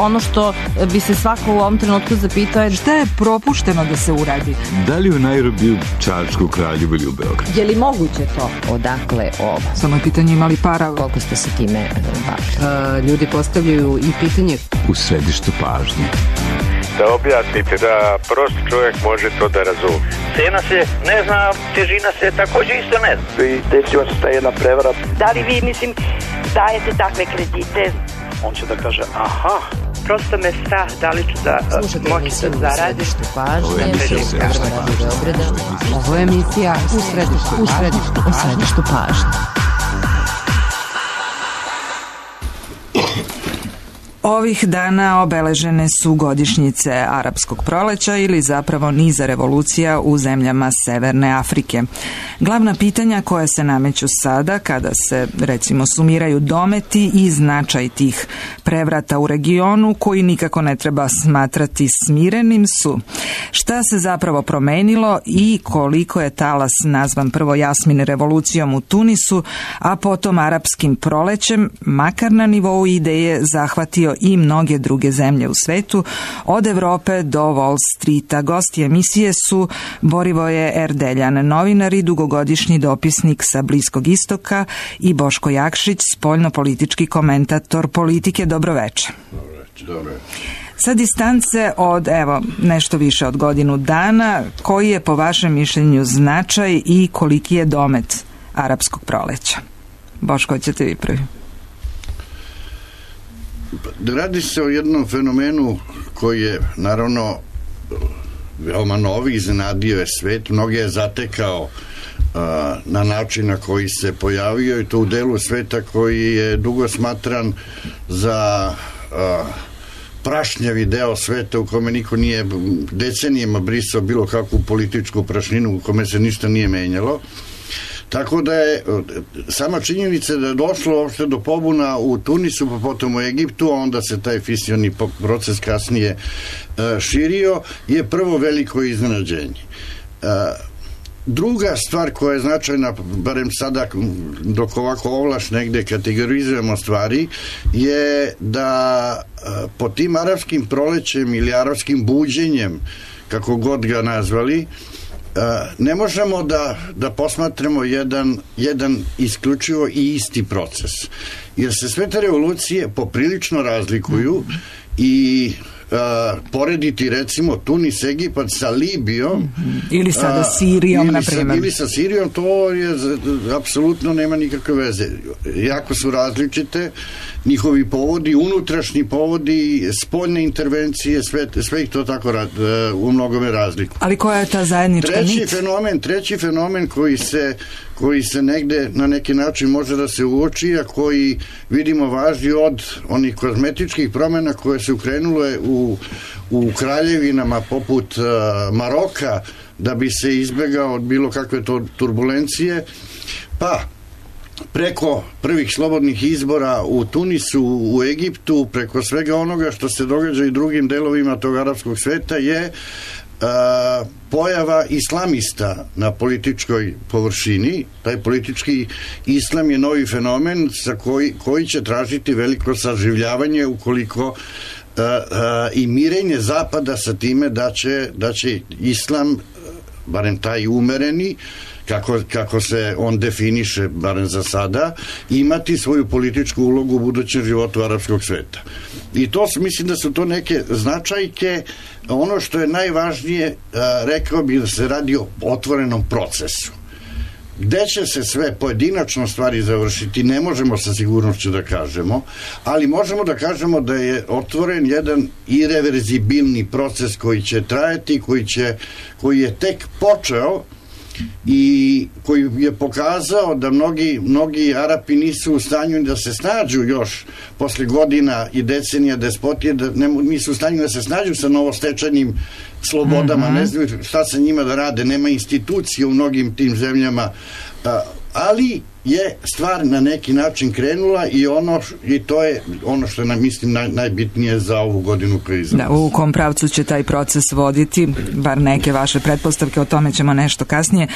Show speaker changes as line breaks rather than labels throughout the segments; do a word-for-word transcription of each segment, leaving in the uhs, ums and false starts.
ono što bi se svako u ovom trenutku zapitao je
šta je propušteno da se uradi?
Da li u Nairobiju, Čačku, Kraljevu ili u Beogradu?
Je li moguće to?
Odakle ovo?
Samo je pitanje imali para.
Koliko ste se time bavili?
Ljudi postavljaju i pitanje
u središtu pažnje.
Da objasnite, da prost čovjek može to da razumije.
Cena se ne zna, težina se također isto ne zna.
I desila se ta jedna prevara.
Da li vi, mislim, dajete takve kredite?
On će da kaže, aha, prosto me strah, da li ću da moći da zaradim.
Ovo je emisija u središtu pažnje.
Ovo je emisija u središtu, u središtu, u središtu pažnje. Ovih dana obeležene su godišnjice Arapskog proleća ili zapravo niza revolucija u zemljama Severne Afrike. Glavna pitanja koja se nameću sada, kada se recimo sumiraju dometi i značaj tih prevrata u regionu, koji nikako ne treba smatrati smirenim, su šta se zapravo promenilo i koliko je talas nazvan prvo Jasmin revolucijom u Tunisu, a potom Arapskim prolećem, makar na nivou ideje, zahvatio i mnoge druge zemlje u svetu, od Evrope do Wall Streeta. Gosti emisije su Borivoje Erdeljan, novinar i dugogodišnji dopisnik sa Bliskog istoka, i Boško Jakšić, spoljno-politički komentator politike. Dobroveče.
Dobro.
Sa distance od, evo, nešto više od godinu dana, koji je po vašem mišljenju značaj i koliki je domet Arapskog proleća? Boško, ćete vi prvi.
Radi se o jednom fenomenu koji je naravno veoma novi, iznenadio je svet, mnoge je zatekao uh, na način na koji se pojavio, i to u delu sveta koji je dugo smatran za uh, prašnjavi deo sveta u kome niko nije decenijama brisao bilo kakvu političku prašninu, u kome se ništa nije menjalo. Tako da je sama činjenica da je došlo uopšte do pobuna u Tunisu, pa potom u Egiptu, a onda se taj fisioni proces kasnije uh, širio, je prvo veliko iznenađenje. Uh, druga stvar koja je značajna, barem sada dok ovako ovlaš negde kategorizujemo stvari, je da uh, po tim arapskim prolećem ili arapskim buđenjem, kako god ga nazvali, ne možemo da, da posmatramo jedan, jedan isključivo i isti proces. Jer se sve te revolucije poprilično razlikuju i Uh, porediti recimo Tunis, Egipat sa Libijom
mm-hmm. ili sada Sirijom, na primjer.
Ili sa Sirijom, to je apsolutno nema nikakve veze. Jako su različite njihovi povodi, unutrašnji povodi, spoljne intervencije, sve, sve ih to tako rad, uh, u mnogome razliku.
Ali koja je ta zajednička
treći
nit?
Fenomen, treći fenomen koji se koji se negde na neki način može da se uoči, a koji vidimo važni od onih kozmetičkih promjena koje su krenule u, u kraljevinama poput uh, Maroka, da bi se izbegao od bilo kakve to turbulencije, pa preko prvih slobodnih izbora u Tunisu, u Egiptu, preko svega onoga što se događa i drugim delovima tog arapskog sveta, je Uh, pojava islamista na političkoj površini. Taj politički islam je novi fenomen za koji, koji će tražiti veliko saživljavanje ukoliko uh, uh, i mirenje Zapada sa time da će, da će islam, barem taj umereni, kako, kako se on definiše, barem za sada, imati svoju političku ulogu u budućem životu arapskog sveta. I to, mislim da su to neke značajke. Ono što je najvažnije, rekao bih da se radi o otvorenom procesu. Gde će se sve pojedinačno stvari završiti, ne možemo sa sigurnošću da kažemo, ali možemo da kažemo da je otvoren jedan irreverzibilni proces koji će trajati, koji, će, koji je tek počeo i koji je pokazao da mnogi, mnogi Arapi nisu u stanju da se snađu još posle godina i decenija despotije, da ne, nisu u stanju da se snađu sa novostečenim slobodama, mm-hmm. ne znaju šta sa njima da rade, nema institucije u mnogim tim zemljama, ali je stvar na neki način krenula i ono i to je ono što nam mislim naj, najbitnije za ovu godinu koju iza nas.
Da, u kom pravcu će taj proces voditi, bar neke vaše pretpostavke, o tome ćemo nešto kasnije.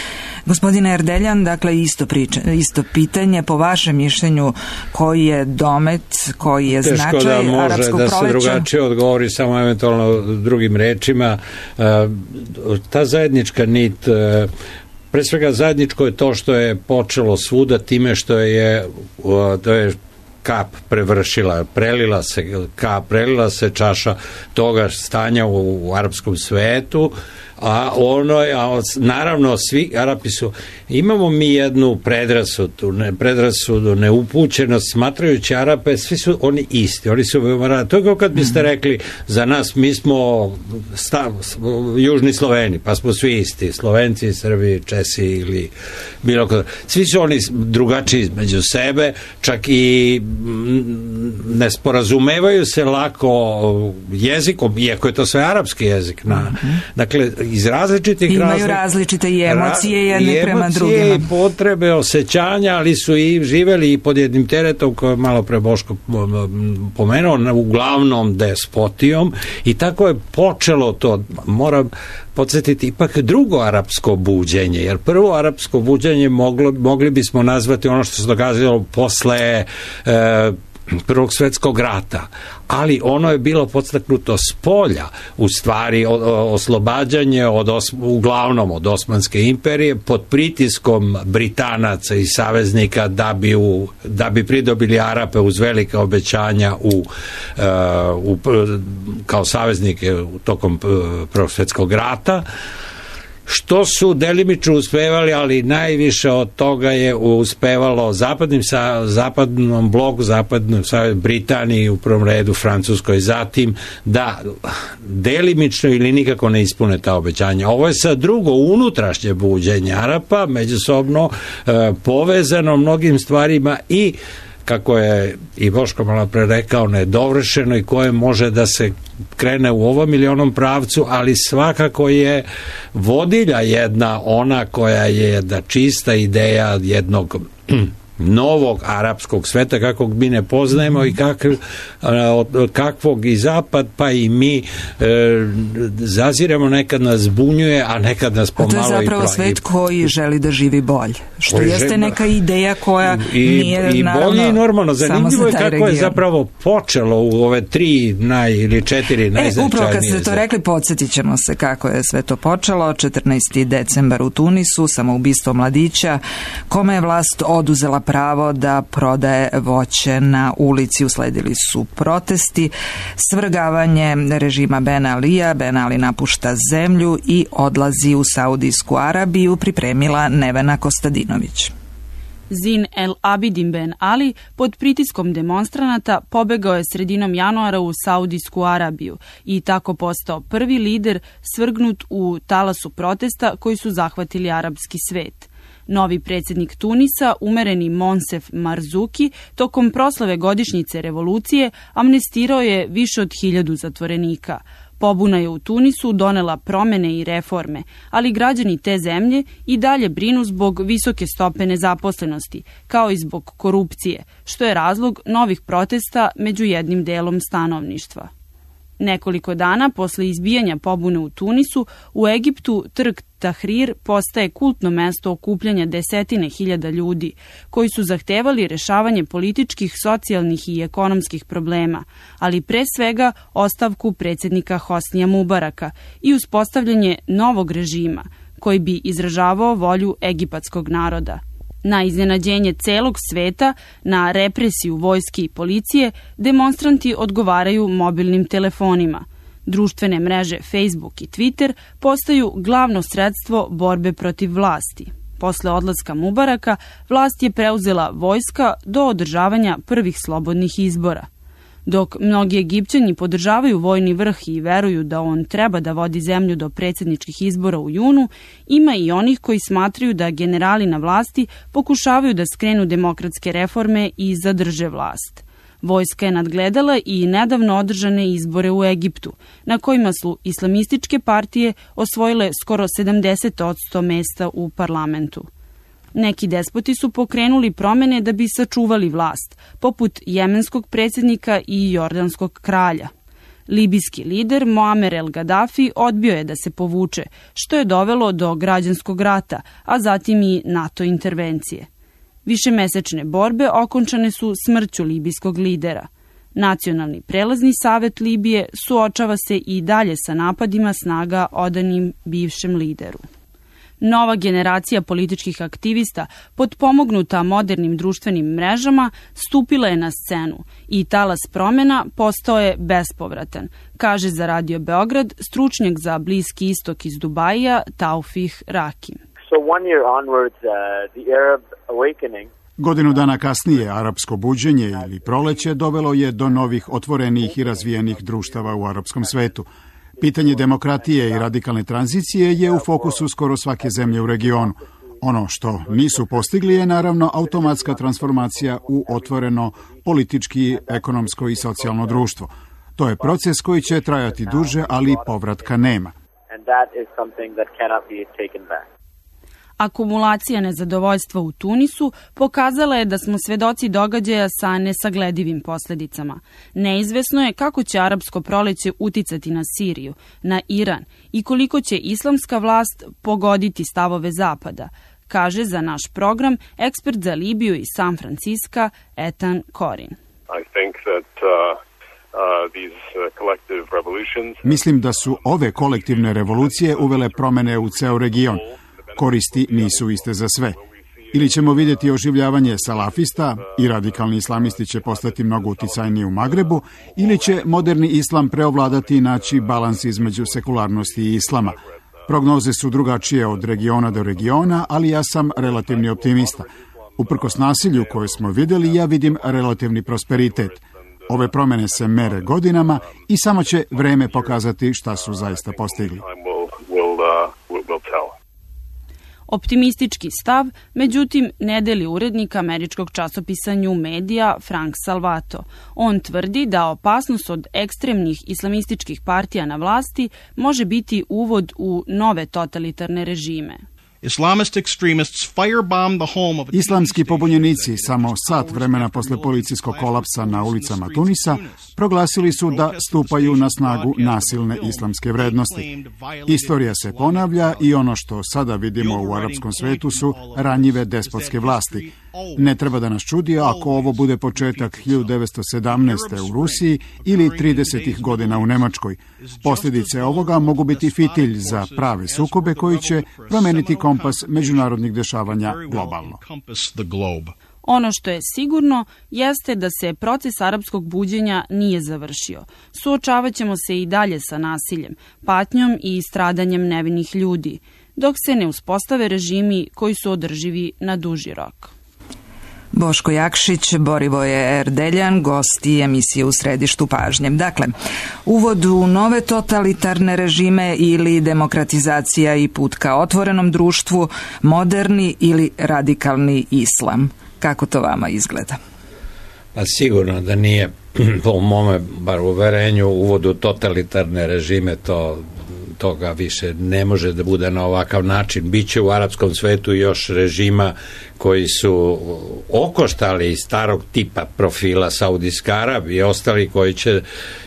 Gospodine Erdeljan, dakle isto, priča, isto pitanje, po vašem mišljenju koji je domet, koji je
Teško
značaj arapskog proleća?
Teško da može da se drugačije odgovori, samo eventualno drugim rečima. Ta zajednička nit, pre svega zajedničko je to što je počelo svuda time što je, to je kap prevršila, prelila se kap, prelila se čaša toga stanja u, u arapskom svetu, a ono je, a naravno svi Arapi su, imamo mi jednu predrasudu, ne, predrasudu, neupućenost, smatrajući Arape, svi su oni isti, oni su veoma, to je kao kad biste rekli za nas, mi smo stav, južni Sloveni, pa smo svi isti, Slovenci, Srbi, Česi ili bilo kada, svi su oni drugačiji među sebe, čak i ne sporazumevaju se lako jezikom, iako je to sve arapski jezik, na, mm-hmm. dakle, iz različitih
imaju
razlika,
različite i emocije jedne
i
prema
emocije
drugima.
I potrebe, osjećanja, ali su i živeli i pod jednim teretom koje je malo pre Boško pomenuo, uglavnom despotijom, i tako je počelo to. Moram podsjetiti ipak drugo arapsko buđenje, jer prvo arapsko buđenje moglo, mogli bismo nazvati ono što se događalo posle e, Prvog svjetskog rata, ali ono je bilo podstaknuto s polja, u stvari o, o, oslobađanje od os, uglavnom od Osmanske imperije pod pritiskom Britanaca i saveznika da bi, u, da bi pridobili Arape uz velika obećanja u, uh, u, kao saveznike u tokom Prvog svjetskog rata, što su delimično uspevali, ali najviše od toga je uspevalo zapadnim sa, zapadnom bloku, zapadnom sa Britaniji, u prvom redu Francuskoj, zatim da delimično ili nikako ne ispune ta obećanja. Ovo je sad drugo unutrašnje buđenje Arapa, međusobno e, povezano mnogim stvarima i kako je i Boško malo pre rekao, nedovršeno i koje može da se krene u ovom ili onom pravcu, ali svakako je vodilja jedna ona koja je jedna čista ideja jednog novog arapskog sveta kakvog mi ne poznajemo i kakv, kakvog i zapad pa i mi e, zaziremo, nekad nas zbunjuje, a nekad nas pomalo i
a to je zapravo
i
svet koji želi da živi bolje, što
koji
jeste
želi,
neka ideja koja
i,
nije
i
naravno
bolje i normalno. Zanimljivo je kako
region.
je zapravo počelo u ove tri naj ili četiri najznačajnije.
E, upravo kad ste to rekli, podsjetit ćemo se kako je sve to počelo. četrnaesti decembar u Tunisu, samoubistvo mladića kome je vlast oduzela pravo da prodaje voće na ulici. Usledili su protesti, svrgavanje režima Ben Alija. Ben Ali napušta zemlju i odlazi u Saudijsku Arabiju, pripremila Nevena Kostadinović.
Zin El Abidin Ben Ali pod pritiskom demonstranata pobegao je sredinom januara u Saudijsku Arabiju i tako postao prvi lider svrgnut u talasu protesta koji su zahvatili arapski svet. Novi predsjednik Tunisa, umereni Monsef Marzuki, tokom proslave godišnjice revolucije amnestirao je više od hiljadu zatvorenika. Pobuna je u Tunisu donela promene i reforme, ali građani te zemlje i dalje brinu zbog visoke stope nezaposlenosti, kao i zbog korupcije, što je razlog novih protesta među jednim delom stanovništva. Nekoliko dana posle izbijanja pobune u Tunisu, u Egiptu trg Tahrir postaje kultno mesto okupljanja desetine hiljada ljudi, koji su zahtevali rešavanje političkih, socijalnih i ekonomskih problema, ali pre svega ostavku predsjednika Hosnija Mubaraka i uspostavljanje novog režima, koji bi izražavao volju egipatskog naroda. Na iznenađenje celog sveta, na represiju vojske i policije, demonstranti odgovaraju mobilnim telefonima. Društvene mreže Facebook i Twitter postaju glavno sredstvo borbe protiv vlasti. Posle odlaska Mubaraka, vlast je preuzela vojska do održavanja prvih slobodnih izbora. Dok mnogi Egipćani podržavaju vojni vrh i veruju da on treba da vodi zemlju do predsjedničkih izbora u junu, ima i onih koji smatraju da generali na vlasti pokušavaju da skrenu demokratske reforme i zadrže vlast. Vojska je nadgledala i nedavno održane izbore u Egiptu, na kojima su islamističke partije osvojile skoro sedamdeset posto mesta u parlamentu. Neki despoti su pokrenuli promene da bi sačuvali vlast, poput jemenskog predsjednika i jordanskog kralja. Libijski lider Muamer el Gaddafi odbio je da se povuče, što je dovelo do građanskog rata, a zatim i NATO intervencije. Višemesečne borbe okončane su smrću libijskog lidera. Nacionalni prelazni savet Libije suočava se i dalje sa napadima snaga odanim bivšem lideru. Nova generacija političkih aktivista, potpomognuta modernim društvenim mrežama, stupila je na scenu i talas promjena postao je bespovratan, kaže za Radio Beograd stručnjak za Bliski istok iz Dubaija Taufih Rakim.
So one year onwards, uh, the Arab awakening
Godinu dana kasnije, arapsko buđenje ili proleće dovelo je do novih otvorenih i razvijenih društava u arapskom svetu. Pitanje demokratije i radikalne tranzicije je u fokusu skoro svake zemlje u regionu. Ono što nisu postigli je naravno automatska transformacija u otvoreno politički, ekonomsko i socijalno društvo. To je proces koji će trajati duže, ali povratka nema.
Akumulacija nezadovoljstva u Tunisu pokazala je da smo svedoci događaja sa nesagledivim posljedicama. Neizvesno je kako će arapsko proleće uticati na Siriju, na Iran i koliko će islamska vlast pogoditi stavove Zapada, kaže za naš program ekspert za Libiju iz San Franciska Ethan Corin.
I think that, uh, uh, these, uh, collective revolutions...
Mislim da su ove kolektivne revolucije uvele promene u ceo region. Koristi nisu iste za sve. Ili ćemo vidjeti oživljavanje salafista i radikalni islamisti će postati mnogo uticajniji u Magrebu, ili će moderni islam preovladati i naći balans između sekularnosti i islama. Prognoze su drugačije od regiona do regiona, ali ja sam relativni optimista. Uprkos nasilju koje smo vidjeli, ja vidim relativni prosperitet. Ove promjene se mere godinama i samo će vreme pokazati šta su zaista postigli.
Optimistički stav, međutim, ne deli urednik američkog časopisa New Media Frank Salvato. On tvrdi da opasnost od ekstremnih islamističkih partija na vlasti može biti uvod u nove totalitarne režime.
Islamski pobunjenici samo sat vremena posle policijskog kolapsa na ulicama Tunisa proglasili su da stupaju na snagu nasilne islamske vrednosti. Istorija se ponavlja i ono što sada vidimo u arapskom svetu su ranjive despotske vlasti. Ne treba da nas čudi ako ovo bude početak hiljadu devetsto sedamnaeste. u Rusiji ili tridesetih godina u Nemačkoj. Posljedice ovoga mogu biti fitilj za prave sukobe koji će promeniti kompas međunarodnih dešavanja globalno.
Ono što je sigurno jeste da se proces arapskog buđenja nije završio. Suočavat ćemo se i dalje sa nasiljem, patnjom i stradanjem nevinih ljudi, dok se ne uspostave režimi koji su održivi na duži rok.
Boško Jakšić, Borivoje Erdeljan, gosti emisije U središtu pažnje. Dakle, uvod u nove totalitarne režime ili demokratizacija i put ka otvorenom društvu, moderni ili radikalni islam. Kako to vama izgleda?
Pa sigurno da nije, po mome bar uverenju, uvod u totalitarne režime, to toga više ne može da bude na ovakav način. Biće u arapskom svetu još režima koji su okoštali starog tipa profila Saudijska Arabija i ostali koji će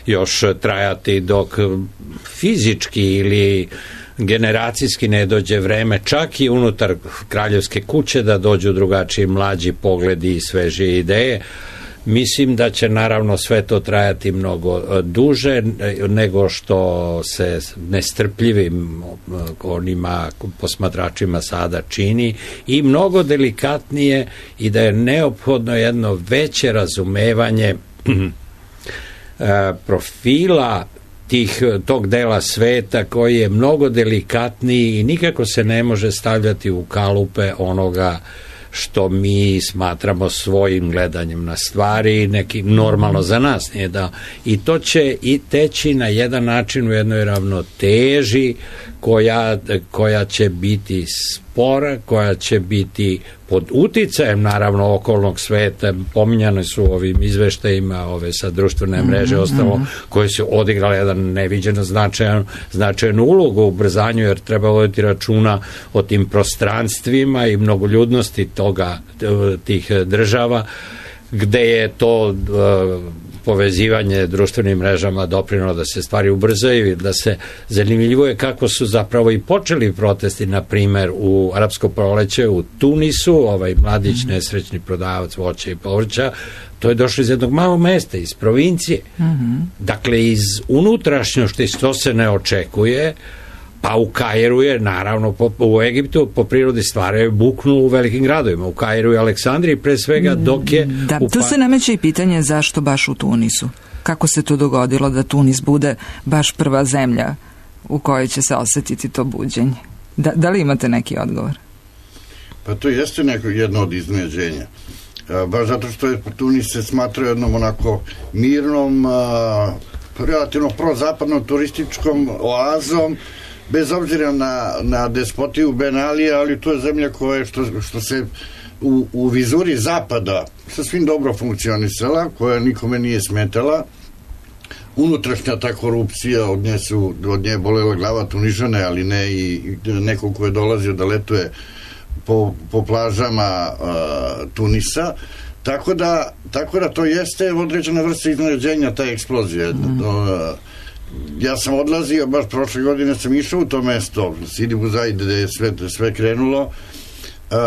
još trajati dok fizički ili generacijski ne dođe vreme, čak i unutar kraljevske kuće, da dođu drugačiji mlađi pogledi i sveže ideje. Mislim da će naravno sve to trajati mnogo duže nego što se nestrpljivim onima posmatračima sada čini i mnogo delikatnije, i da je neophodno jedno veće razumevanje profila tih, tog dela sveta koji je mnogo delikatniji i nikako se ne može stavljati u kalupe onoga što mi smatramo svojim gledanjem na stvari, neki normalno za nas nije da. I to će i teći na jedan način u jednoj ravnoteži koja, koja će biti spora, koja će biti pod uticajem naravno okolnog sveta. Pominjane su ovim izveštajima ove sa društvene mreže, mm-hmm. ostalo, koje su odigrale jedan neviđeno značajan, značajnu ulogu u ubrzanju, jer treba voditi računa o tim prostranstvima i mnogoljudnosti toga, tih država, gde je to uh, povezivanje društvenim mrežama doprinelo da se stvari ubrzaju i da se zanimljivo je kako su zapravo i počeli protesti, na primer u Arapsko proleće u Tunisu, ovaj mladić mm-hmm. nesrećni prodavac voća i povrća, to je došlo iz jednog malog mesta, iz provincije. Mm-hmm. Dakle, iz unutrašnjosti, što se ne očekuje, pa u Kairu je, naravno, po, u Egiptu po prirodi stvari buknu u velikim gradovima. U Kairu i Aleksandriji, pre svega, dok je...
Da,
u
tu se nameće i pitanje zašto baš u Tunisu. Kako se to dogodilo da Tunis bude baš prva zemlja u kojoj će se osetiti to buđenje? Da, da li imate neki odgovor?
Pa to jeste neko jedno od iznenađenja. Baš zato što je Tunis se smatra jednom onako mirnom, a, relativno prozapadnom turističkom oazom, bez obzira na, na despotiju Ben Alija, ali to je zemlja koja što, što se u, u vizuri zapada sasvim dobro funkcionisala, koja nikome nije smetala. Unutrašnja ta korupcija, od nje su od nje bolela glava Tunižane, ali ne i neko ko je dolazio da letuje po, po plažama uh, Tunisa. Tako da, tako da to jeste određena vrsta iznenađenja, ta eksplozija. Mm. Uh, ja sam odlazio, baš prošle godine sam išao u to mesto, Sidi Buzaid, gde je sve, sve krenulo. Uh,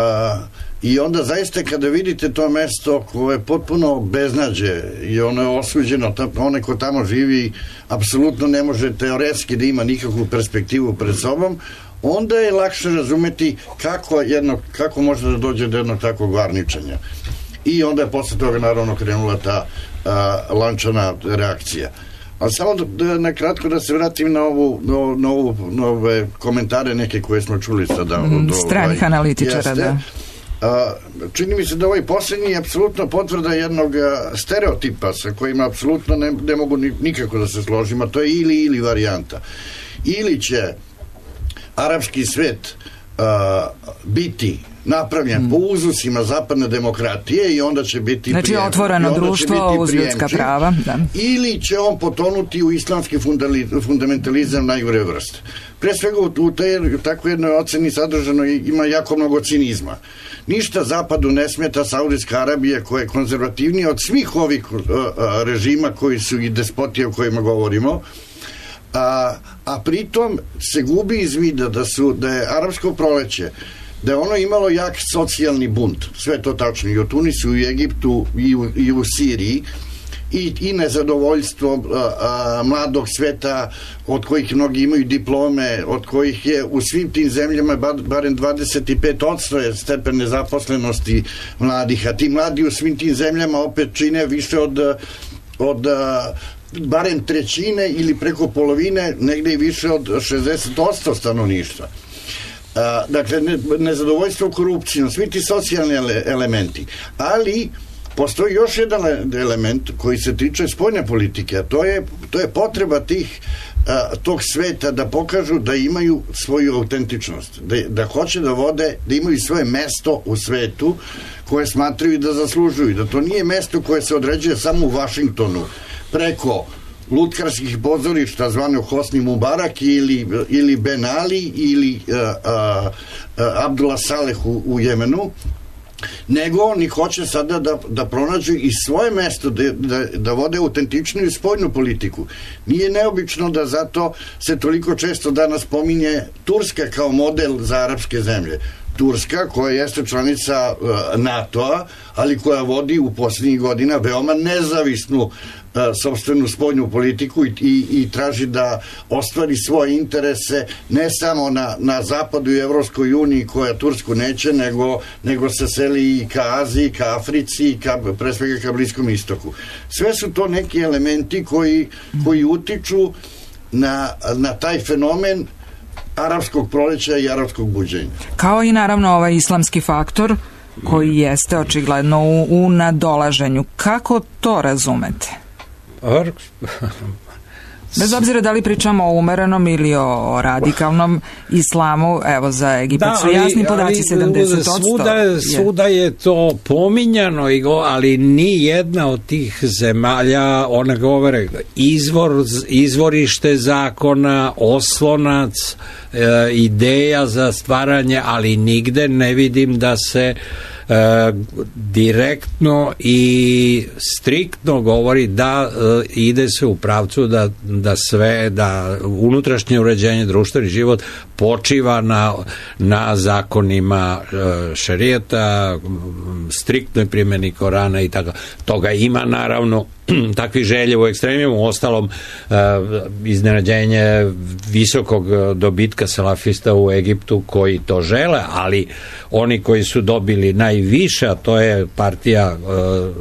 I onda zaista kada vidite to mesto koje je potpuno beznađe i ono je osuđeno, onaj ko tamo živi apsolutno ne može teoretski da ima nikakvu perspektivu pred sobom, onda je lakše razumeti kako, jedno, kako može da dođe do jednog takvog varničanja. I onda je posle toga naravno krenula ta a, lančana reakcija. Ali samo da, da, na kratko da se vratim na ovu, na, na ovu na ove komentare neke koje smo čuli sada
mm,
od
stranih ovaj, analitičara, jeste, da.
A, čini mi se da ovaj posljednji je apsolutno potvrda jednog a, stereotipa sa kojima apsolutno ne, ne mogu ni, nikako da se složim, a to je ili ili varijanta. Ili će arapski svet a, biti napravljen mm. po uzusima zapadne demokratije i onda će biti
znači
prijem,
otvoreno društvo uz ljudska prava, da.
Ili će on potonuti u islamski fundamentalizam najgore vrste. Pre svega u, te, u takvoj jednoj oceni sadržano ima jako mnogo cinizma. Ništa zapadu ne smeta Saudijska Arabija koja je konzervativnija od svih ovih a, a, režima koji su i despotije o kojima govorimo, a, a pritom se gubi iz vida da, su, da je arapsko proleće, da je ono imalo jak socijalni bunt, sve to tačno, i u Tunisu, i u Egiptu, i u, i u Siriji, i, i nezadovoljstvo a, a, mladog sveta, od kojih mnogi imaju diplome, od kojih je u svim tim zemljama bar, barem dvadeset pet posto je stepen nezaposlenosti mladih, a ti mladi u svim tim zemljama opet čine više od, od a, barem trećine ili preko polovine, negde i više od šezdeset posto stanovništva. A, dakle, ne, nezadovoljstvo korupcijom, svi ti socijalni ele, elementi, ali postoji još jedan element koji se tiče spoljne politike, a to je, to je potreba tih a, tog sveta da pokažu da imaju svoju autentičnost, da, da hoće da vode, da imaju svoje mesto u svetu koje smatraju da zaslužuju, da to nije mesto koje se određuje samo u Vašingtonu preko lutkarskih pozorišta zvano Hosni Mubarak ili, ili Ben Ali ili uh, uh, uh, Abdullah Saleh u, u Jemenu, nego oni hoće sada da, da pronađu i svoje mesto, da, da, da vode autentičniju spoljnu politiku. Nije neobično da zato se toliko često danas pominje Turska kao model za arapske zemlje. Turska, koja jeste članica uh, NATO-a, ali koja vodi u posljednjih godina veoma nezavisnu uh, sopstvenu spoljnu politiku i, i, i traži da ostvari svoje interese ne samo na, na zapadu i Evropskoj uniji koja Tursku neće, nego, nego se seli i ka Aziji, ka Africi, ka, pre svega ka Bliskom istoku. Sve su to neki elementi koji, koji utiču na, na taj fenomen arapskog proleća i arapskog buđenja.
Kao i naravno ovaj islamski faktor koji jeste očigledno u, u nadolaženju. Kako to razumete? Bez obzira da li pričamo o umerenom ili o radikalnom islamu, evo za Egipat da, su jasni podaci sedamdeset posto.
Svuda, svuda je to pominjano, ali ni jedna od tih zemalja, one govore izvor, izvorište zakona, oslonac, e, ideja za stvaranje, ali nigde ne vidim da se E, direktno i striktno govori da e, ide se u pravcu da, da sve, da unutrašnje uređenje, društveni život počiva na, na zakonima e, šerijata, striktnoj primjeni Korana i tako. Toga ima naravno takvih želje u ekstremimu, ostalom e, iznenađenje visokog dobitka salafista u Egiptu koji to žele, ali oni koji su dobili najviše, a to je partija e,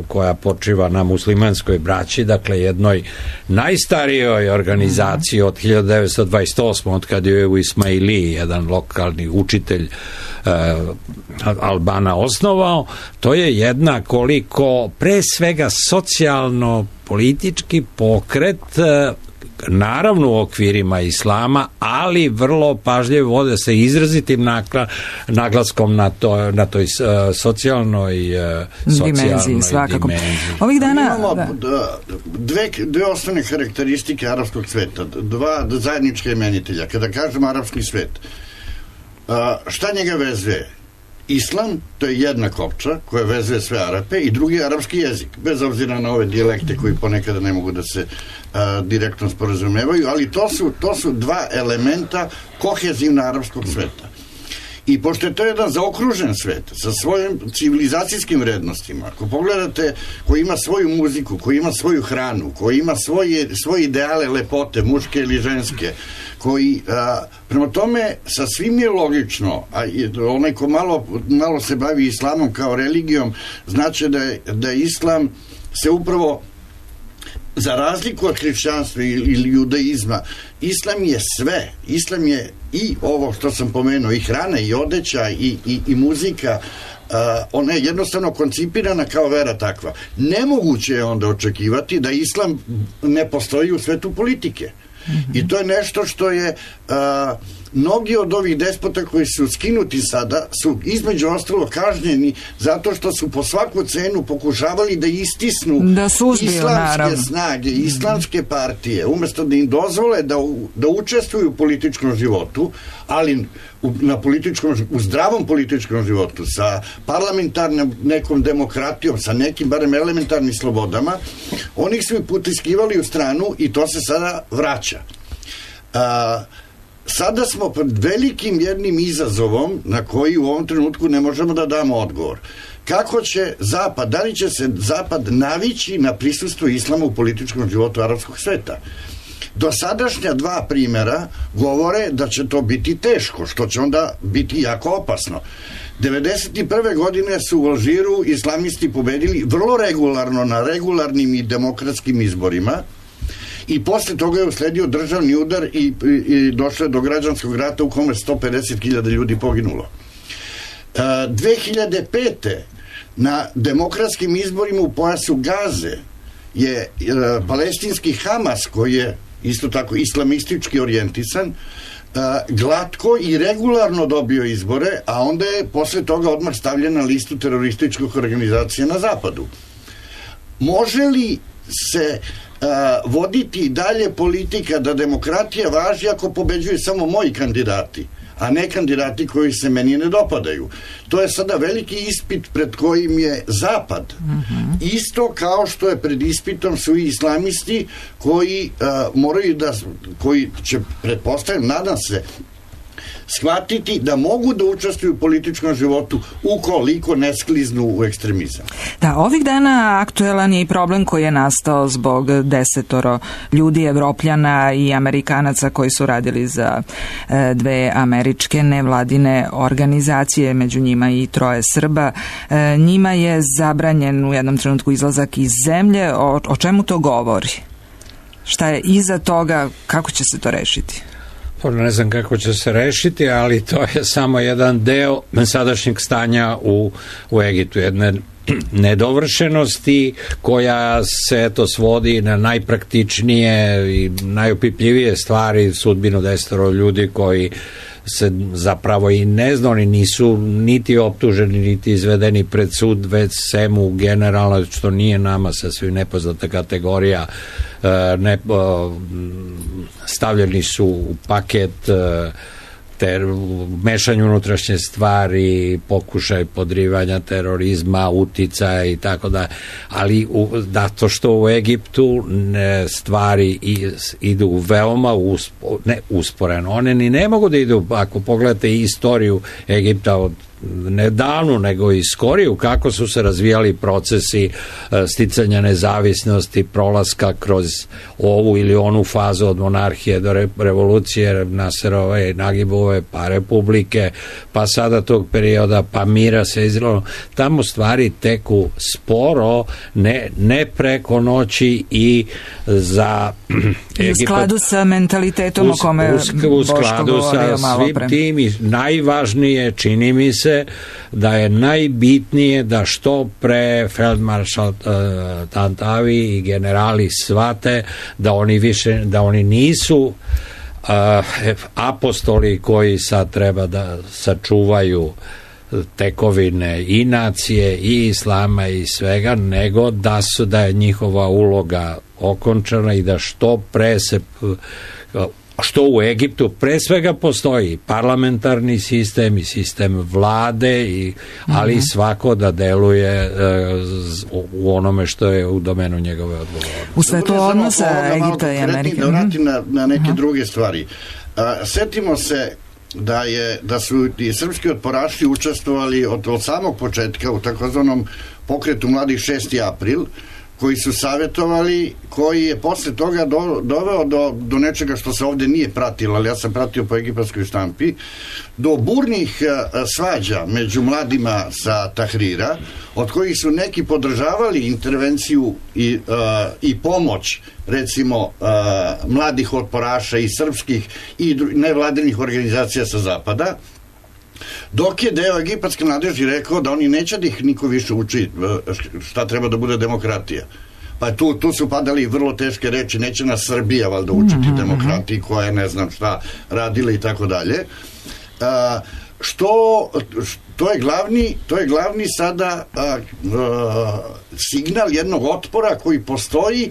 koja počiva na muslimanskoj braći, dakle jednoj najstarijoj organizaciji od hiljadu devetsto dvadeset osme. od kad je u Ismailiji jedan lokalni učitelj e, Albana osnovao, to je jedna koliko pre svega socijalno politički pokret, naravno u okvirima islama, ali vrlo pažljivo vode se izrazitim naglaskom na, to, na toj socijalnoj, socijalnoj dimenziji. Svakako. Dimenziji.
Ovih dana...
Imamo dve, dve osnovne karakteristike arapskog sveta, dva zajednička imenitelja. Kada kažem arapski svet, šta njega vezuje? Islam, to je jedna kopča koja vezuje sve Arape, i drugi je arapski jezik, bez obzira na ove dijalekte koji ponekada ne mogu da se a, direktno sporazumevaju, ali to su, to su dva elementa kohezivna arapskog sveta. I pošto je to jedan zaokružen svet sa svojim civilizacijskim vrednostima, ako pogledate, koji ima svoju muziku, koji ima svoju hranu, koji ima svoje, svoje ideale lepote, muške ili ženske, koji, a, prema tome, sasvim je logično, a onaj ko malo, malo se bavi islamom kao religijom, znači da je, da je islam se upravo, za razliku od hrišćanstva ili judaizma, islam je sve. Islam je i ovo što sam pomenuo, i hrana, i odeća, i, i, i muzika. Uh, ona je jednostavno koncipirana kao vera takva. Nemoguće je onda očekivati da islam ne postoji u svetu politike. Mm-hmm. I to je nešto što je... Uh, mnogi od ovih despota koji su skinuti sada su između ostalo kažnjeni zato što su po svaku cenu pokušavali da istisnu
da suzbiju,
islamske
naravno.
snage, islamske partije, umesto da im dozvole da, da učestvuju u političkom životu, ali u, na političkom, u zdravom političkom životu, sa parlamentarnom nekom demokratijom, sa nekim barem elementarnim slobodama, oni su ih potiskivali u stranu i to se sada vraća. A, Sada smo pred velikim jednim izazovom na koji u ovom trenutku ne možemo da damo odgovor. Kako će Zapad, da li će se Zapad navići na prisustvo islama u političkom životu arapskog sveta? Dosadašnja dva primjera govore da će to biti teško, što će onda biti jako opasno. devedeset prve godine su u Alžiru islamisti pobedili vrlo regularno na regularnim i demokratskim izborima, i posle toga je usledio državni udar i, i, i došlo je do građanskog rata u kome sto pedeset hiljada ljudi poginulo. E, dve hiljade pete. na demokratskim izborima u pojasu Gaze je e, palestinski Hamas, koji je isto tako islamistički orijentisan, e, glatko i regularno dobio izbore, a onda je posle toga odmah stavljen na listu terorističkih organizacija na zapadu. Može li se Uh, voditi dalje politika da demokratija važi ako pobeđuju samo moji kandidati, a ne kandidati koji se meni ne dopadaju? To je sada veliki ispit pred kojim je Zapad. Mm-hmm. Isto kao što je pred ispitom su i islamisti koji uh, moraju da, koji će, pretpostavljam, nadam se, shvatiti da mogu da učestvuju u političkom životu ukoliko ne skliznu u ekstremizam.
Da, ovih dana aktuelan je i problem koji je nastao zbog desetoro ljudi, Evropljana i Amerikanaca koji su radili za e, dve američke nevladine organizacije, među njima i troje Srba. E, njima je zabranjen u jednom trenutku izlazak iz zemlje. O, o čemu to govori? Šta je iza toga? Kako će se to rešiti?
Pa ne znam kako će se rešiti, ali to je samo jedan deo sadašnjeg stanja u, u Egiptu, jedne nedovršenosti koja se eto svodi na najpraktičnije i najopipljivije stvari, sudbinu desetoro ljudi koji se zapravo i ne zna, oni nisu niti optuženi, niti izvedeni pred sud, već svemu generalno, što nije nama sasvim nepoznata kategorija, ne, stavljeni su u paket ter, mešanju unutrašnje stvari, pokušaj podrivanja terorizma, uticaja i tako da, ali u, da to što u Egiptu ne, stvari i, idu veoma uspo, ne usporeno, one ni ne mogu da idu, ako pogledate istoriju Egipta od ne davno, nego i skoriju, kako su se razvijali procesi sticanja nezavisnosti, prolaska kroz ovu ili onu fazu od monarhije do re, revolucije, Naserove, Nagibove, pa republike, pa sada tog perioda, pa mira se izravno. Tamo stvari teku sporo, ne, ne preko noći i za
I u skladu sa mentalitetom o kome
u skladu sa svim tim i najvažnije čini mi se da je najbitnije da što pre feldmaršal uh, Tantavi i generali shvate da oni više, da oni nisu uh, apostoli koji sad treba da sačuvaju tekovine i nacije i islama i svega, nego da su da je njihova uloga okončana i da što pre se što u Egiptu pre svega postoji parlamentarni sistem i sistem vlade, i, ali mm-hmm. svako da deluje uh, u onome što je u domenu njegove odgovornosti.
U svetu odnosa Egipta i Amerike.
Da vratim na, na neke uh-huh. druge stvari. Uh, setimo se da je da su i srpski otporaši učestvovali od, od samog početka u takozvanom pokretu mladih šesti april, koji su savjetovali, koji je posle toga do, doveo do, do nečega što se ovde nije pratilo, ali ja sam pratio po egipatskoj štampi, do burnih a, svađa među mladima sa Tahrira, od kojih su neki podržavali intervenciju i, a, i pomoć, recimo a, mladih otporaša i srpskih i nevladinih organizacija sa zapada, dok je deo egipatske mladeži rekao da oni neće da ih niko više uči šta treba da bude demokratija. Pa tu, tu su padali vrlo teške reči, neće nas Srbija valjda učiti demokratiji koja je ne znam šta radila i tako dalje. Što, to je glavni, to je glavni sada a, a, signal jednog otpora koji postoji,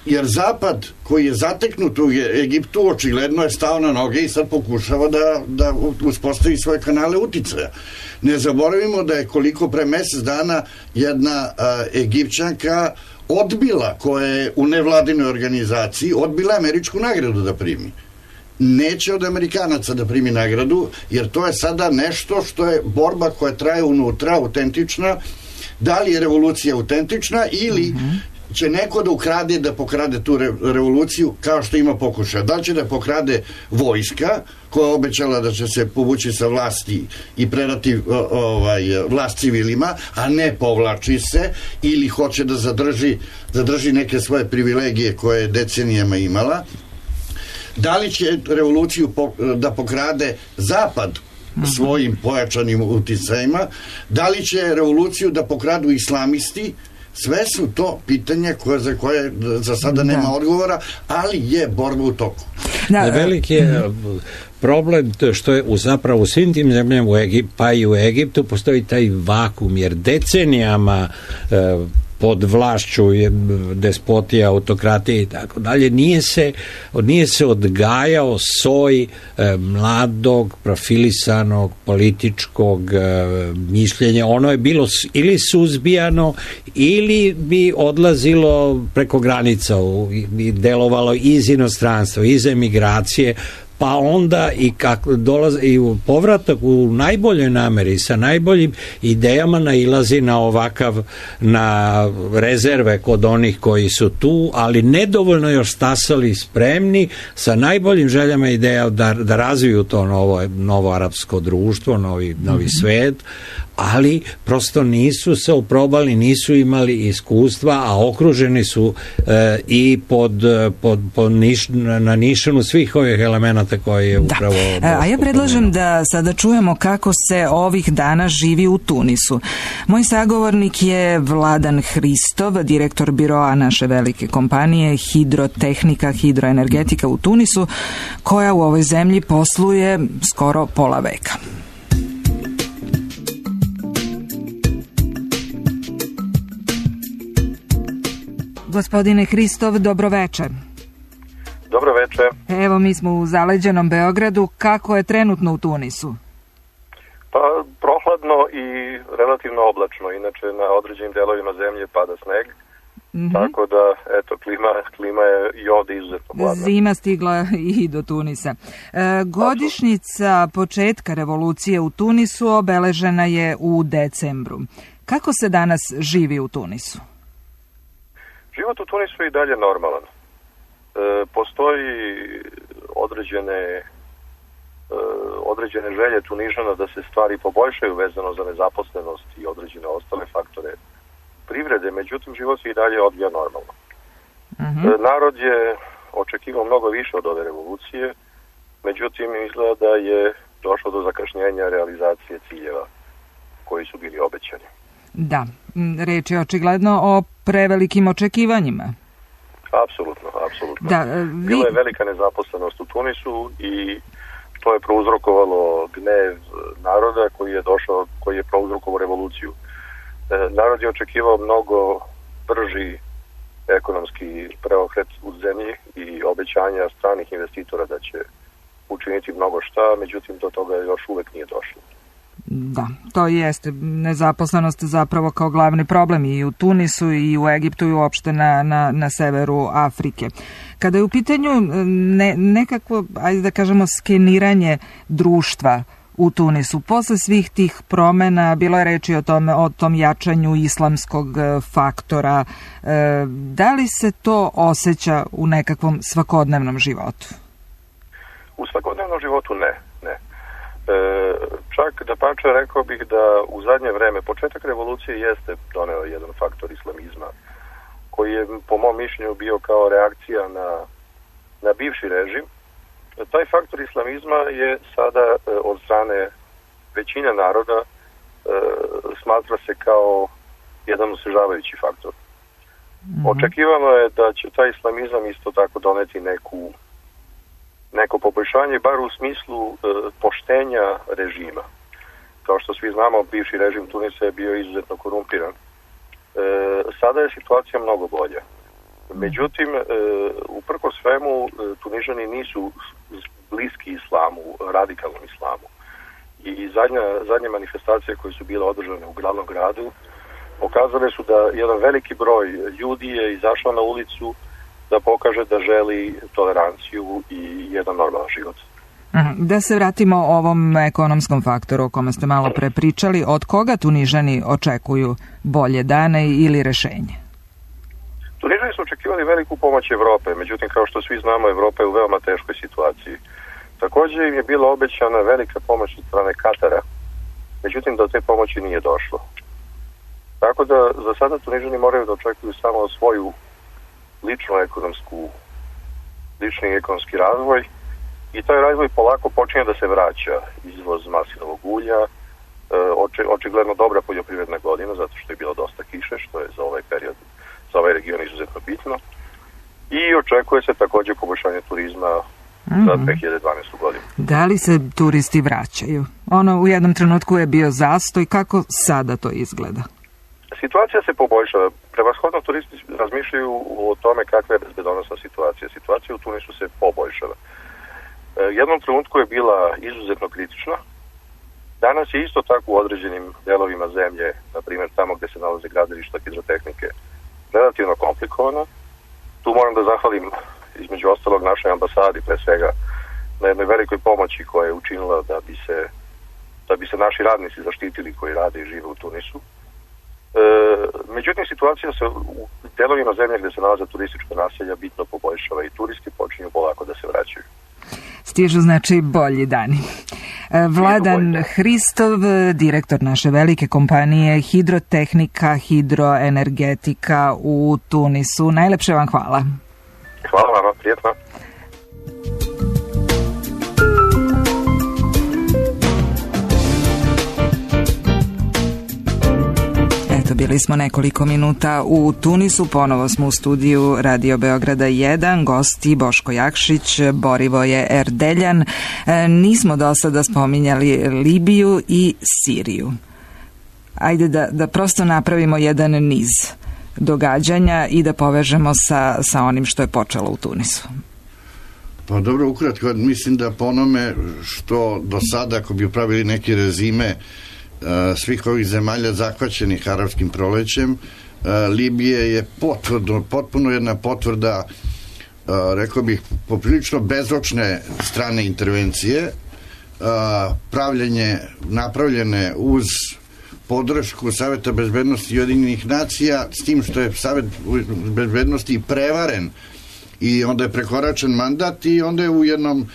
jer Zapad koji je zateknut u Egiptu očigledno je stao na noge i sad pokušava da, da uspostavi svoje kanale uticaja. Ne zaboravimo da je koliko pre mesec dana jedna a, Egipćanka odbila, koja je u nevladinoj organizaciji, odbila američku nagradu da primi. Neće od Amerikanaca da primi nagradu, jer to je sada nešto što je borba koja traje unutra, autentična. Da li je revolucija autentična ili mm-hmm. će neko da ukrade, da pokrade tu re, revoluciju, kao što ima pokušaja. Da li će da pokrade vojska, koja je obećala da će se povući sa vlasti i predati ovaj, vlast civilima, a ne povlači se, ili hoće da zadrži, zadrži neke svoje privilegije koje je decenijama imala. Da li će revoluciju po, da pokrade Zapad svojim pojačanim uticajima, da li će revoluciju da pokradu islamisti. Sve su to pitanja koje, za koje za sada nema da. odgovora, ali je borba u toku.
Da, veliki je problem to što je u zapravo u svim tim zemljama u Egiptu, pa i u Egiptu postoji taj vakum, jer decenijama e, pod vlašću despotija, autokratije i tako dalje, nije se, nije se odgajao soj e, mladog, profilisanog, političkog e, mišljenja. Ono je bilo ili suzbijano ili bi odlazilo preko granica u, i delovalo iz inostranstva, iz emigracije, pa onda i kako dolazi i u povratak u najboljoj nameri sa najboljim idejama nailazi na ovakav, na rezerve kod onih koji su tu, ali nedovoljno još stasali spremni sa najboljim željama ideja da, da razviju to novo, novo arapsko društvo, novi, novi svet, ali prosto nisu se oprobali, nisu imali iskustva, a okruženi su e, i pod, pod, pod niš, na nišanu svih ovih elemenata koje je upravo...
Da. A ja predlažem da sada čujemo kako se ovih dana živi u Tunisu. Moj sagovornik je Vladan Hristov, direktor biroa naše velike kompanije Hidrotehnika, hidroenergetika u Tunisu, koja u ovoj zemlji posluje skoro pola veka. Gospodine Hristov, dobro večer.
Dobro večer.
Evo, mi smo u zaleđenom Beogradu. Kako je trenutno u Tunisu?
Pa, prohladno i relativno oblačno. Inače, na određenim delovima zemlje pada sneg. Mm-hmm. Tako da, eto, klima, klima je i ovdje izuzetno hladna.
Zima stigla i do Tunisa. E, godišnjica početka revolucije u Tunisu obeležena je u decembru. Kako se danas živi u Tunisu?
Život u Tunisu je i dalje normalan. E, postoji određene, e, određene želje Tunižana da se stvari poboljšaju vezano za nezaposlenost i određene ostale faktore privrede, međutim život se i dalje odvija normalno. Mm-hmm. E, narod je očekivao mnogo više od ove revolucije, međutim izgleda da je došlo do zakašnjenja realizacije ciljeva koji su bili obećani.
Da, reč je očigledno o prevelikim očekivanjima.
Apsolutno, apsolutno.
Da, vi...
Bila je velika nezaposlenost u Tunisu i to je prouzrokovalo gnev naroda koji je došao, koji je prouzrokovao revoluciju. Narod je očekivao mnogo brži ekonomski preokret u zemlji i obećanja stranih investitora da će učiniti mnogo šta, međutim do toga još uvek nije došlo.
Da, to jeste nezaposlenost zapravo kao glavni problem i u Tunisu i u Egiptu i uopšte na, na, na severu Afrike. Kada je u pitanju ne, nekako, ajde da kažemo, skeniranje društva u Tunisu, posle svih tih promena, bilo je reči o tome, o tom jačanju islamskog faktora, e, da li se to osjeća u nekakvom svakodnevnom životu?
U svakodnevnom životu ne, ne. E, čak da pače rekao bih da u zadnje vreme početak revolucije jeste doneo jedan faktor islamizma koji je po mom mišljenju bio kao reakcija na, na bivši režim. Taj faktor islamizma je sada e, od strane većine naroda e, smatra se kao jedan osvežavajući faktor. Mm-hmm. Očekivano je da će taj islamizam isto tako doneti neku neko poboljšanje, bar u smislu e, poštenja režima. Kao što svi znamo, bivši režim Tunisa je bio izuzetno korumpiran. E, sada je situacija mnogo bolja. Međutim, e, uprko svemu, e, Tunižani nisu bliski islamu, radikalnom islamu. I zadnja, zadnje manifestacije koje su bile održane u glavnom gradu pokazale su da jedan veliki broj ljudi je izašao na ulicu da pokaže da želi toleranciju i jedan normalan život.
Da se vratimo ovom ekonomskom faktoru o kome ste malo pre pričali, od koga Tunižani očekuju bolje dane ili rešenje?
Tunižani su očekivali veliku pomoć Evrope, međutim kao što svi znamo, Evropa je u veoma teškoj situaciji. Također im je bila obećana velika pomoć od strane Katara, međutim do te pomoći nije došlo. Tako da za sada Tunižani moraju da očekuju samo svoju ličnu ekonomsku, lični ekonomski razvoj i taj razvoj polako počinje da se vraća. Izvoz maslinovog ulja, oči, očigledno dobra poljoprivredna godina, zato što je bilo dosta kiše, što je za ovaj period, za ovaj region izuzetno bitno. I očekuje se također poboljšanje turizma mm-hmm. za dve hiljade dvanaestu godinu.
Da li se turisti vraćaju? Ono u jednom trenutku je bio zastoj, kako sada to izgleda?
Situacija se poboljšava. Prevashodno turisti razmišljaju o tome kakva je bezbedonosna situacija. Situacija u Tunisu se poboljšava. Jednom trenutku je bila izuzetno kritična. Danas je isto tako u određenim delovima zemlje, na primjer tamo gdje se nalaze gradilišta hidrotehnike, relativno komplikovana. Tu moram da zahvalim između ostalog našoj ambasadi pre svega na jednoj velikoj pomoći koja je učinila da bi se, da bi se naši radnici zaštitili koji rade i žive u Tunisu. E, međutim, situacija se u delovima zemlje gdje se nalaze turistička naselja bitno poboljšava i turisti počinju polako da se vraćaju.
Stižu znači bolji dani. Vladan Hristov, direktor naše velike kompanije Hidrotehnika, hidroenergetika u Tunisu. Najlepše vam hvala.
Hvala vama, prijetno.
Eto, bili smo nekoliko minuta u Tunisu, ponovo smo u studiju Radio Beograda jedan, gosti Boško Jakšić, Borivoje Erdeljan. E, nismo do sada spominjali Libiju i Siriju. Ajde da, da prosto napravimo jedan niz događanja i da povežemo sa, sa onim što je počelo u Tunisu.
Pa dobro, ukratko, mislim da po onome što do sada, ako bi upravili neki rezime svih ovih zemalja zahvaćenih arapskim prolećem, Libije je potvrdo, potpuno jedna potvrda, rekao bih, poprilično bezočne strane intervencije, pravljenje, napravljene uz podršku Saveta bezbednosti Ujedinjenih nacija, s tim što je Savet bezbednosti prevaren i onda je prekoračen mandat i onda je u jednom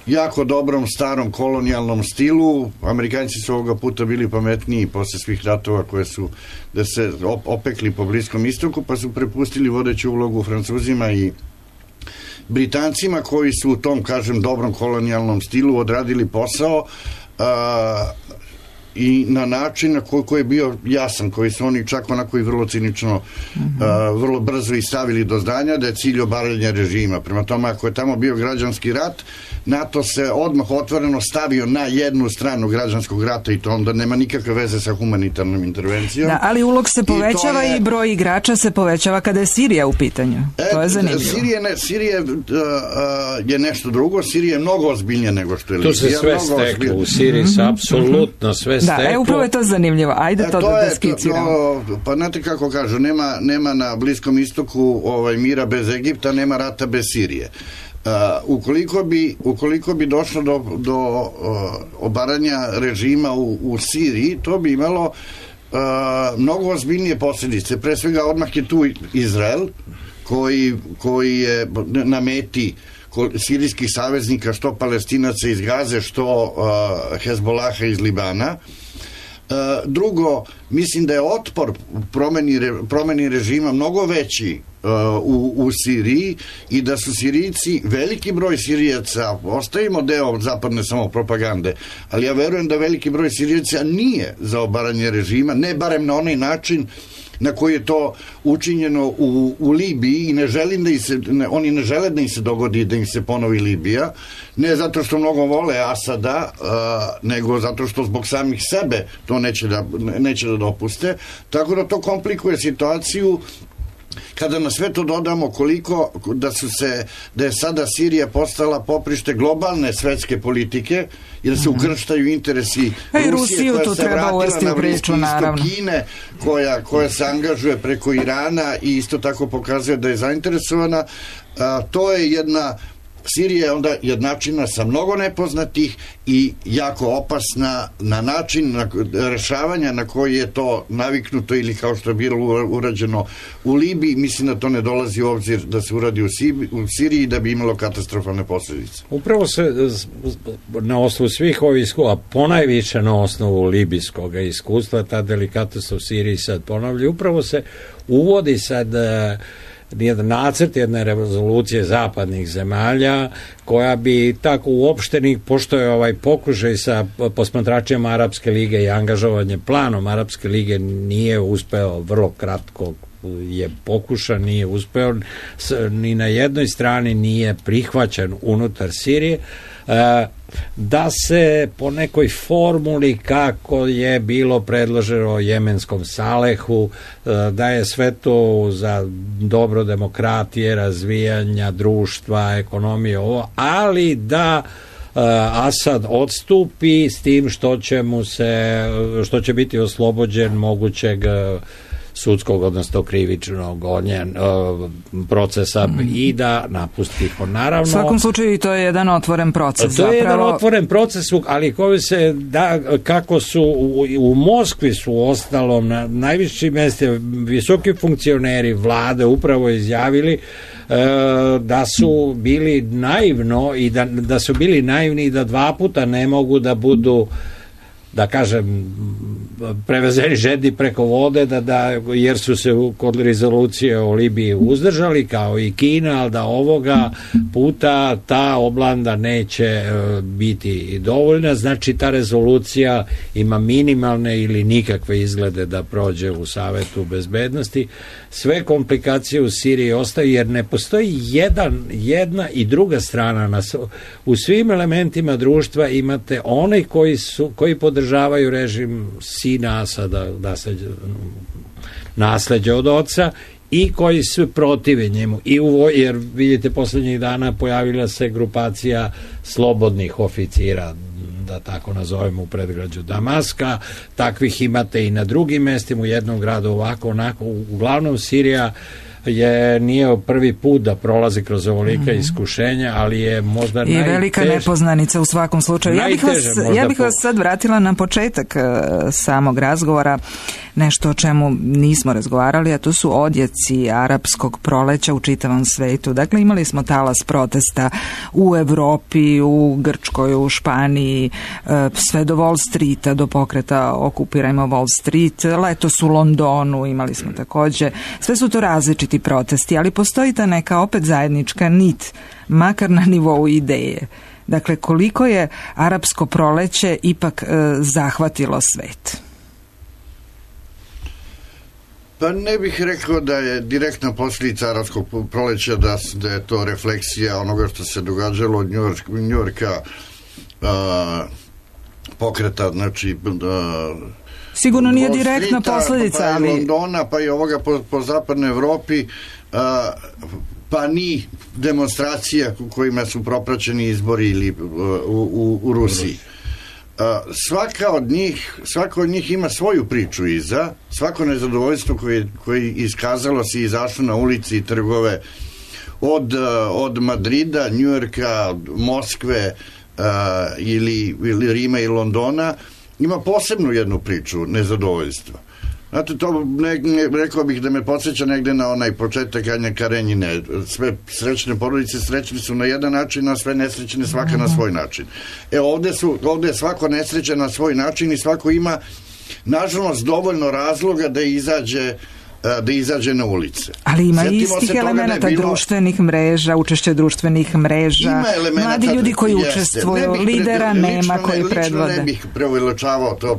jako dobrom starom kolonijalnom stilu. Amerikanci su ovoga puta bili pametniji posle svih ratova koje su da se opekli po Bliskom istoku, pa su prepustili vodeću ulogu Francuzima i Britancima koji su u tom, kažem, dobrom kolonijalnom stilu odradili posao a, i na način na koji, koji je bio jasan, koji su oni čak onako i vrlo cinično, mm-hmm. a, vrlo brzo i stavili do znanja da je cilj obaranja režima. Prema tome, ako je tamo bio građanski rat, NATO se odmah otvoreno stavio na jednu stranu građanskog rata i to onda nema nikakve veze sa humanitarnom intervencijom.
Da, ali ulog se povećava i, je, i broj igrača se povećava kada je Sirija u pitanju. E, to je zanimljivo.
Sirija, ne, Sirija uh, uh, je nešto drugo. Sirija je mnogo ozbiljnije nego što je Libija.
Tu se sve steklo. U Siriji se mm-hmm. apsolutno sve steklo.
Da, e, upravo je to zanimljivo. Ajde e, to, to da, da skiciramo.
To, to, pa znate kako kažu, nema, nema na Bliskom istoku ovaj, mira bez Egipta, nema rata bez Sirije. Uh, ukoliko bi ukoliko bi došlo do, do uh, obaranja režima u, u Siriji, to bi imalo uh, mnogo ozbiljnije posljedice. Pre svega odmah je tu Izrael koji, koji je na meti sirijskih saveznika, što Palestinaca iz Gaze, što uh, Hezbolaha iz Libana. Uh, drugo, mislim da je otpor promeni, promeni režima mnogo veći uh, u, u Siriji i da su Sirijci, veliki broj Sirijaca, ostavimo deo zapadne samopropagande, ali ja verujem da veliki broj Sirijaca nije za obaranje režima, ne barem na onaj način na koji je to učinjeno u, u Libiji i ne želim da im se, ne, oni ne žele da im se dogodi da im se ponovi Libija, ne zato što mnogo vole Asada, uh, nego zato što zbog samih sebe to neće da, neće da dopuste, tako da to komplikuje situaciju. Kada na sve to dodamo koliko da su se, da je sada Sirija postala poprište globalne svetske politike i da se ukrštaju interesi
e,
Rusije koja se vratila na Bliski istok, Kine koja, koja se angažuje preko Irana i isto tako pokazuje da je zainteresovana, a, to je jedna Sirija je onda jednačina sa mnogo nepoznatih i jako opasna na način na rešavanja na koji je to naviknuto ili kao što je bilo urađeno u Libiji. Mislim da to ne dolazi u obzir da se uradi u, Sibi, u Siriji da bi imalo katastrofalne posljedice.
Upravo se na osnovu svih ovih iskustva, ponajviše na osnovu libijskog iskustva, ta delikatnost u Siriji sad ponavlja, upravo se uvodi sad jedan nacrt jedne rezolucije zapadnih zemalja koja bi tako uopštenih, pošto je ovaj pokušaj sa posmatračima Arapske lige i angažovanje planom Arapske lige nije uspeo, vrlo kratko je pokušan, nije uspeo, ni na jednoj strani nije prihvaćen unutar Sirije, da se po nekoj formuli kako je bilo predloženo jemenskom Salehu, da je sve to za dobro demokratije, razvijanja društva, ekonomije, ovo, ali da Asad odstupi s tim što će mu se, što će biti oslobođen mogućeg sudskog, odnosno krivičnog gonja, procesa mm. i da napusti ih. Naravno,
u svakom slučaju to je jedan otvoren proces.
To
zapravo.
je jedan otvoren proces, ali koji se da, kako su u, u Moskvi su ostalom na najvišim mjestima visoki funkcioneri vlade upravo izjavili e, da su bili naivno i da, da su bili naivni i da dva puta ne mogu da budu, da kažem, prevezeni žedni preko vode, da, da, jer su se kod rezolucije o Libiji uzdržali kao i Kina, ali da ovoga puta ta oblanda neće biti dovoljna. Znači ta rezolucija ima minimalne ili nikakve izglede da prođe u Savetu bezbednosti. Sve komplikacije u Siriji ostaju jer ne postoji jedan, jedna i druga strana. Na, u svim elementima društva imate one koji, su, koji podržavaju režim sina Asada, da se nasleđe od oca, i koji su protive njemu. I u, jer vidite, posljednjih dana pojavila se grupacija slobodnih oficira, da tako nazovemo, u predgrađu Damaska. Takvih imate i na drugim mestima, u jednom gradu ovako, onako. Uglavnom Sirija je nije prvi put da prolazi kroz ovolika mm-hmm. iskušenja, ali je možda
i
najtež...
velika nepoznanica u svakom slučaju. Ja bih, vas, ja bih vas sad vratila na početak uh, samog razgovora, nešto o čemu nismo razgovarali, a to su odjeci arapskog proleća u čitavom svetu. Dakle, imali smo talas protesta u Evropi, u Grčkoj, u Španiji, uh, sve do Wall Streeta, do pokreta Okupirajmo Wall Street, letos u Londonu imali smo također. Sve su to različiti protesti, ali postoji ta neka opet zajednička nit, makar na nivou ideje. Dakle, koliko je arapsko proleće ipak e, zahvatilo svet?
Pa ne bih rekao da je direktna posljedica arapskog proleća, da, da je to refleksija onoga što se događalo od Njujorka, pokreta, znači a,
sigurno nije direktna posljedica,
pa, pa
ali...
i Londona, pa i ovoga po, po zapadnoj Evropi, a, pa ni demonstracija kojima su propraćeni izbori ili u, u, u Rusiji. A, svaka od njih, svaka od njih ima svoju priču iza, svako nezadovoljstvo koje, koje iskazalo se i izašlo na ulici i trgove od, od Madrida, Njujorka, Moskve a, ili, ili Rima i Londona, ima posebnu jednu priču nezadovoljstva. Znate, to ne, ne, rekao bih da me podsjeća negde na onaj početak Anje Karenjine. Sve srećne porodice srećne su na jedan način, a sve nesrećne svaka na svoj način. E, ovde, su, ovde je svako nesrećen na svoj način i svako ima, nažalost, dovoljno razloga da izađe da izađe na ulice.
Ali ima istih elemenata bilo... društvenih mreža, učešće društvenih mreža, mladi ljudi koji učestvuju, lidera pre, nema lično, koji predvode.
Lično ne bih preuveličavao, to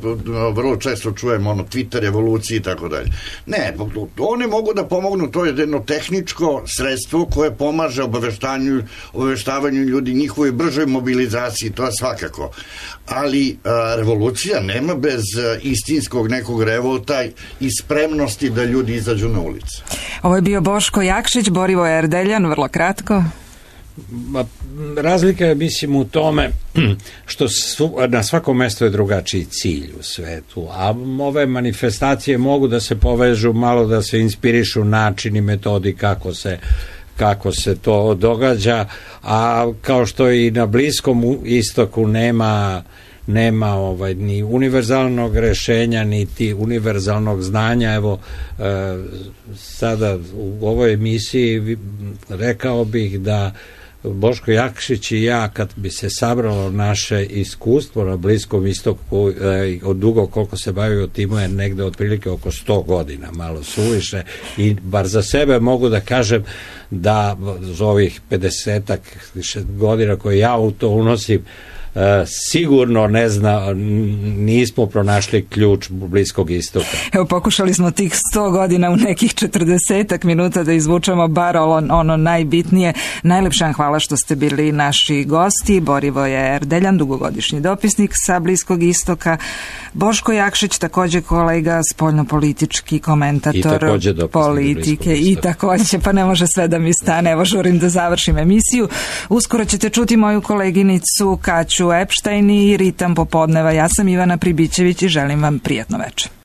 vrlo često čujem, ono, Twitter revoluciji i tako dalje. Ne, one mogu da pomognu, to je jedno tehničko sredstvo koje pomaže obaveštanju, obaveštavanju ljudi, njihovoj bržoj mobilizaciji, to je svakako. Ali a, revolucija nema bez a, istinskog nekog revolta i spremnosti da ljudi izađu na ulicu.
Ovo je bio Boško Jakšić, Borivoje Erdeljan, vrlo kratko.
Razlika je, mislim, u tome što su, na svakom mjestu je drugačiji cilj u svetu, a ove manifestacije mogu da se povežu, malo da se inspirišu načini, metodi kako se kako se to događa, a kao što i na Bliskom istoku nema nema ovaj ni univerzalnog rešenja niti univerzalnog znanja. Evo e, sada u ovoj emisiji rekao bih da Boško Jakšić i ja, kad bi se sabralo naše iskustvo na Bliskom istoku, e, od dugo koliko se bavio timu, je negde otprilike oko sto godina, malo suviše, i bar za sebe mogu da kažem da za ovih pedesetak godina koje ja u to unosim, Uh, sigurno ne zna, nismo pronašli ključ Bliskog istoka.
Evo, pokušali smo tih sto godina u nekih četrdesetak minuta da izvučemo bar ono, ono najbitnije. Najlepša vam hvala što ste bili naši gosti. Borivoje Erdeljan, dugogodišnji dopisnik sa Bliskog istoka, Boško Jakšić, također kolega, spoljnopolitički komentator politike i također, pa ne može sve da mi stane, evo žurim da završim emisiju. Uskoro ćete čuti moju koleginicu Kaću Epštajn i Ritam popodneva. Ja sam Ivana Pribićević i želim vam prijatno večer.